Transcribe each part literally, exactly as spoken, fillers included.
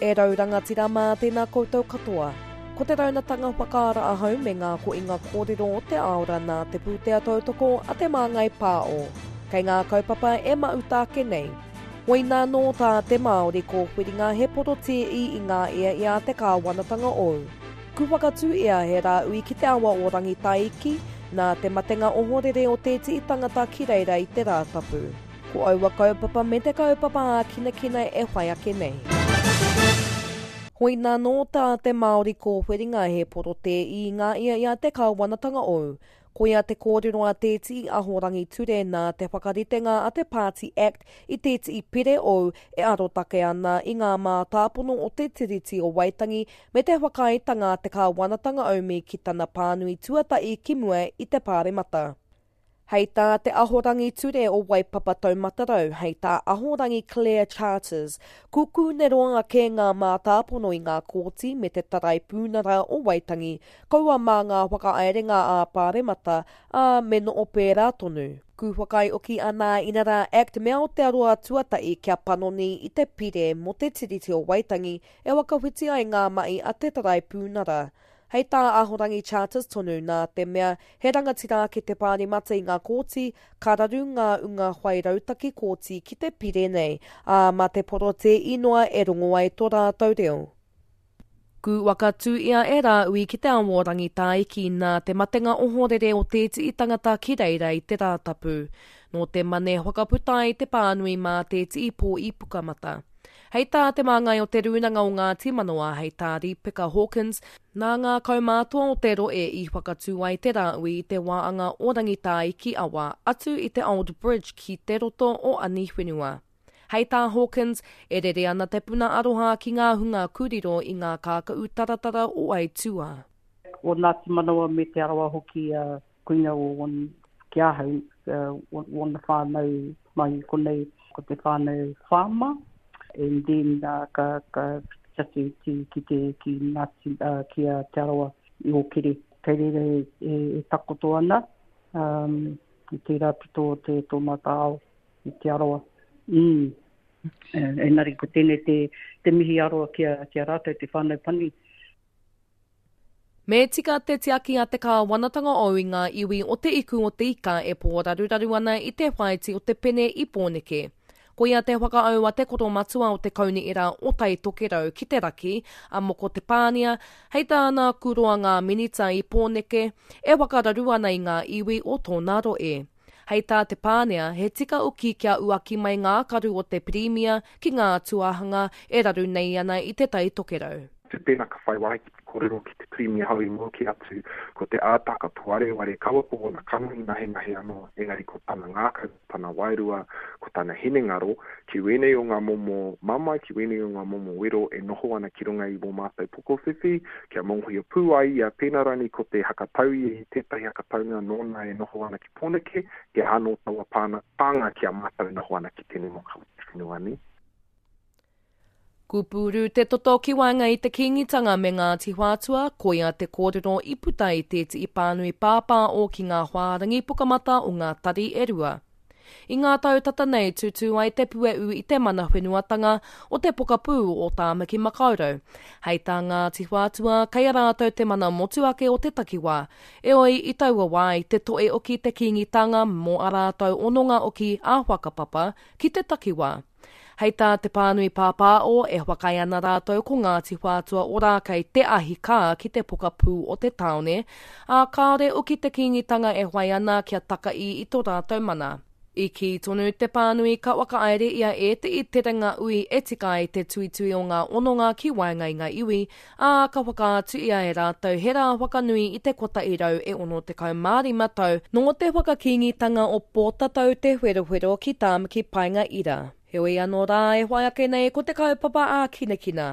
E rau rangatira mā tēnā koutou katoa. Ko te raunatanga whakaara ahau me ngā koinga kōrero o te aora nā te pūtea tautoko a te Māngai Pāo. Kei ngā kaupapa e mauta ake nei. Hoina nō tā te Māori kōwhiringa he porotē i i ngā ea i a te kāwanatanga ou. Ku whakatū ia he rāui ki te awa o Rangitaiki, nā te matenga ohorere o tētihi tangata ki reira i te Rātapu. Ko aua kaupapa me te kaupapa ākinakina e whai ake nei. Hoina nō tā te Māori kōwhiringa he porotē i ngā ia i a te kāwanatanga ou. Koia te kōrero a tētihi ahorangi ture nā te whakaritenga a te Party Act i tētihi pire ou e arotake ana i ngā mātāpono o te Tiriti o Waitangi me te whakaaetanga a te kāwanatanga aumi ki tana pānui tuatahi ki mua i te Pāremata. Hei tā te ahorangi ture o Waipapa Taumatarau, hei tā ahorangi Claire Charters, kuku ne roanga ke ngā mātāpono i ngā kōti me te Taraipūnara o Waitangi, kaua mā ngā whakaerenga ā Pāremata, ā me no o pērā tonu. Ku whakaioki ana inara Act me Aotearoa tuatahi kia panoni i te pire mō te Tiriti o Waitangi e wakawhiti ai ngā mahi a te Taraipūnara. Hei tā ahorangi Charters tonu nā te mea he rangatira ake te Pāremata i ngā kōti, ka raru ngā unga whai rautaki kōti ki te pire nei, ā mā te porotē inoa e rongo ai tō rātou reo. Ku wakatū ia e rāui ki te awa o Rangitaiki nā te matenga ohorere o tētihi tangata ki reira i te Rātapu. Nō te mane whakaputa ai te pānui mā tētihi pō i Pukamata. Hei tā te māngai o te rūnanga o Ngāti Manawa, hei tā Ripeka Hawkins, nā ngā kaumātua o te roe i whakatū ai te rāui i te wāanga o Rangitaiki awa atu i te Old Bridge ki te roto o Aniwhenua. Hei tā Hawkins, e rere ana te puna aroha ki ngā hunga kuriro i ngā kākau taratara o Aituā. O Ngāti Manawa me Te Arawa hoki uh, koina o one, ki ahau, uh, wona whānau mai konei ko te whānau whāma. And then uh, ka, ka tatu ki, ki te ki Ngāti, uh, ki a Te Arawa i Ōkere. Kei reira e, e, e takoto ana um, i tērā pito o te tō mātou ao i Te Arawa. Mm. Engari ko tēnei te, te mihi aroa ki a, ki a rātou te whānau pani. Me tika te tiaki a te kāwanatanga ou i ngā iwi o te iku o te ika e pōraruraru ana i te whaiti o te pene i Pōneke. Koia te whakaau a te koromatua o te kaunihera o Tai Tokerau ki te raki, a Moko Te Pānia, hei tāna kuroa ngā minita i Pōneke, e whakararu ana i ngā iwi o tōna roe. Hei tā Te Pānia, he tika uki kia uaki mai ngā karu o te Pirimia ki ngā tuahanga e raru nei ana i te Tai Tokerau. Te pēnā ka whai wāhi ki te kōrero ki te Pirimia hau i mua ki atu, ko te ātaka puareware kaua ko ona kanohi nahenahe anō, engari ko tana ngākau, tana wairua, ko tana hinengaro, ki wēnei o ngā momo mamae, ki wēnei o ngā momo wero e noho ana ki runga i wō mātou pokowhiwhi, kia mōhio pū ai ia, pēnā rānei ko te hakatau ia i tētahi hakataunga nōna e noho ana ki Pōneke, he anō taua pāna, pānga ki a mātou e noho ana ki tēnei moka o te whenua nei. Kupuru te toto ki waenga i te Kīngitanga me Ngāti Whātua, koia te kōrero i puta i tētihi pānui pāpā o ki ngā whārangi pukamata o ngā tari e rua. I ngā tau tata nei tūtū ai te pueu i te mana whenuatanga o te pokapū o Tāmaki Makaurau. Hei tā Ngāti Whātua, kei a rātou te mana motuake o te takiwā. Eoi i taua wā i te toe oki te Kīngitanga mō a rātou hononga oki a whakapapa ki te takiwā. Hei tā te pānui pāpāo e whakaae ana rātou ko Ngāti Whātua Ōrākei te ahi kā ki te pokapū o te tāone, ā kāore oki te Kīngitanga e whai ana kia takai i tō rātou mana. I kī tonu te pānui ka whakaere ia e te i terenga ui e tika ai te tuitui o ngā hononga ki waenga i ngā iwi, ā ka whakaatu ia e rātou he rā whakanui i te kotahi rau e ono tekau mā rima tau nō te whakakīngitanga o Pōtatau Te Wherowhero ki Tāmaki Paenga Ira. Heoi anō rā e whai ake nei ko te kaupapa ākinakina.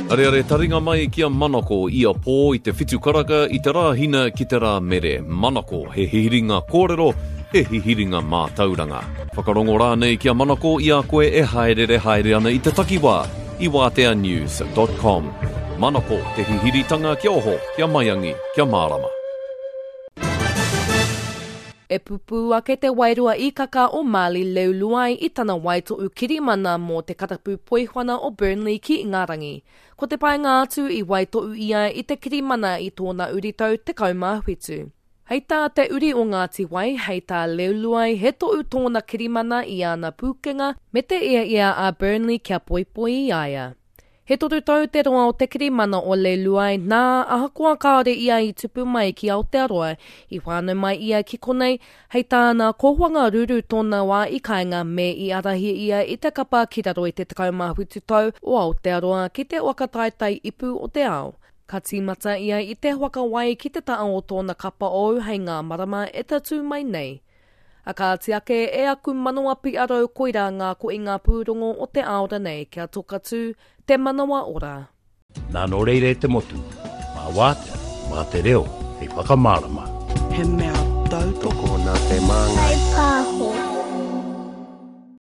Areare taringa mai ki a Manako ia pō i te whitu karaka i te Rāhina ki te Rā Mere. Manako, he hihiringa kōrero, he hihiringa mātauranga. Whakarongo rānei ki a Manako i a koe e haerere haere ana i te takiwā i wātea news dot com. Manako, te hihiritanga kia oho, kia maiangi, kia mārama. E pupū ake te wairua īkaka o Marley Leuluai i tana waitohu kirimana mō te karapu poiwhana o Burnley ki Ingarangi. Ko te painga atu i waitohu ia i te kirimana i tōna uritau tekau mā whitu. Hei tā te uri o Ngāti Wai, hei tā Leuluai, he tohu tōna kirimana i ana pūkenga me te ia ia a Burnley kia poipoi i a ia. He toru tau te roa o te kirimana o Leuluai, nā ahakoa kāore ia i tupu mai ki Aotearoa, i whānau mai ia ki konei, hei tāna ko Whangaruru tōna wā i kāinga me i ārahi ia i te kapa ki raro i te tekau mā whitu tau o Aotearoa ki te waka taetae ipu o te ao. Ka tīmata ia i te whakawai ki te taha o tōna kapa ou hei ngā marama e tatū mai nei. A kāti ake e aku manawa piarau koirā ngā koinga pūrongo o te aora nei kia toka tū te manawa ora. Nā nō reira e te motu, mā wātea, mā te reo, hei whakamārama. He mea tautoko Tokona te māngai. Whaipāho.